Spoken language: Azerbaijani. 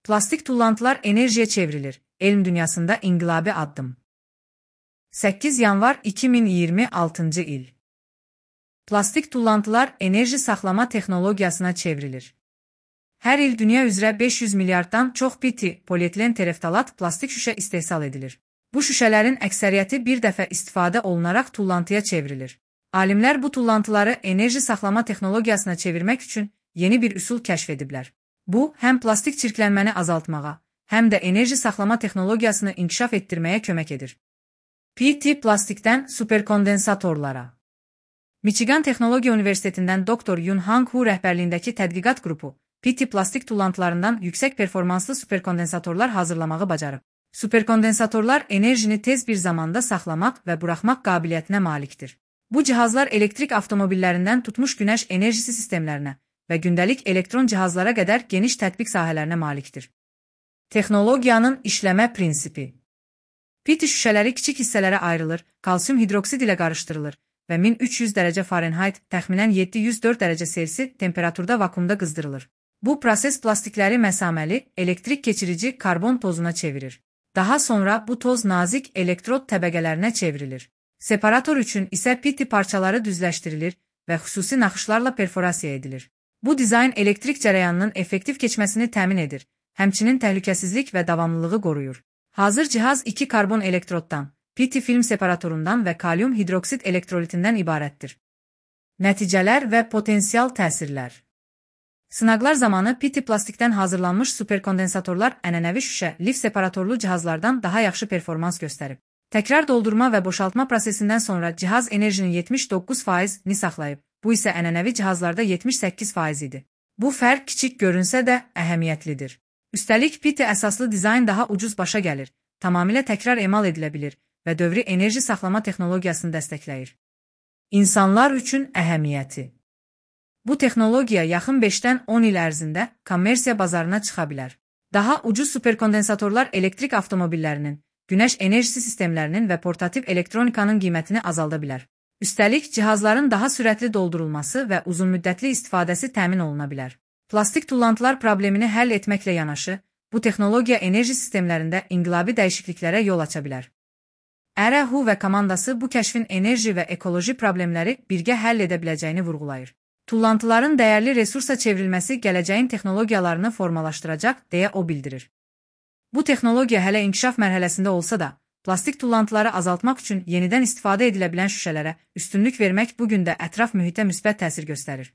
Plastik tullantılar enerjiye çevrilir. Elm dünyasında inqilabi addım. 8 yanvar 2026 il. Plastik tullantılar enerji saxlama texnologiyasına çevrilir. Hər il dünya üzrə 500 milyarddan çox PT, polietilen tereftalat plastik şüşə istehsal edilir. Bu şüşələrin əksəriyyəti bir dəfə istifadə olunaraq tullantıya çevrilir. Alimlər bu tullantıları enerji saxlama texnologiyasına çevirmək üçün yeni bir üsul kəşf ediblər. Bu, həm plastik çirklənməni azaltmağa, həm də enerji saxlama texnologiyasını inkişaf etdirməyə kömək edir. PT plastikdən superkondensatorlara. Michigan Texnologiya Universitetindən Dr. Yun-Hang Hu rəhbərliyindəki tədqiqat qrupu PT plastik tullantılarından yüksək performanslı superkondensatorlar hazırlamağı bacarıb. Superkondensatorlar enerjini tez bir zamanda saxlamaq və buraxmaq qabiliyyətinə malikdir. Bu cihazlar elektrik avtomobillərindən tutmuş günəş enerjisi sistemlərinə və gündəlik elektron cihazlara qədər geniş tətbiq sahələrinə malikdir. Texnologiyanın işləmə prinsipi. PT şüşələri kiçik hissələrə ayrılır, kalsium hidroksid ilə qarışdırılır və 1300 dərəcə Fahrenheit, təxminən 704 dərəcə Selsi temperaturda vakuumda qızdırılır. Bu proses plastikləri məsaməli, elektrik keçirici karbon tozuna çevirir. Daha sonra bu toz nazik elektrod təbəqələrinə çevrilir. Separator üçün isə PT parçaları düzləşdirilir və xüsusi naxışlarla perforasiya edilir. Bu dizayn elektrik cərəyanının effektiv keçməsini təmin edir, həmçinin təhlükəsizlik və davamlılığı qoruyur. Hazır cihaz 2 karbon elektroddan, PT film separatorundan və kalium hidroksid elektrolitindən ibarətdir. Nəticələr və potensial təsirlər. Sınaqlar zamanı PT plastikdən hazırlanmış superkondensatorlar ənənəvi şüşə, lif separatorlu cihazlardan daha yaxşı performans göstərib. Təkrar doldurma və boşaltma prosesindən sonra cihaz enerjinin 79%-ni saxlayıb, bu isə ənənəvi cihazlarda 78% idi. Bu fərq kiçik görünsə də əhəmiyyətlidir. Üstəlik PT əsaslı dizayn daha ucuz başa gəlir, tamamilə təkrar emal edilə bilir və dövri enerji saxlama texnologiyasını dəstəkləyir. İnsanlar üçün əhəmiyyəti. Bu texnologiya yaxın 5-dən 10 il ərzində kommersiya bazarına çıxa bilər. Daha ucuz superkondensatorlar elektrik avtomobillərinin, günəş enerjisi sistemlərinin və portativ elektronikanın qiymətini azalda bilər. Üstəlik, cihazların daha sürətli doldurulması və uzunmüddətli istifadəsi təmin oluna bilər. Plastik tullantılar problemini həll etməklə yanaşı, bu texnologiya enerji sistemlərində inqilabi dəyişikliklərə yol aça bilər. Hu və komandası bu kəşfin enerji və ekoloji problemləri birgə həll edə biləcəyini vurğulayır. Tullantıların dəyərli resursa çevrilməsi gələcəyin texnologiyalarını formalaşdıracaq, deyə o bildirir. Bu texnologiya hələ inkişaf mərhələsində olsa da, plastik tullantıları azaltmaq üçün yenidən istifadə edilə bilən şüşələrə üstünlük vermək bu gün də ətraf mühitə müsbət təsir göstərir.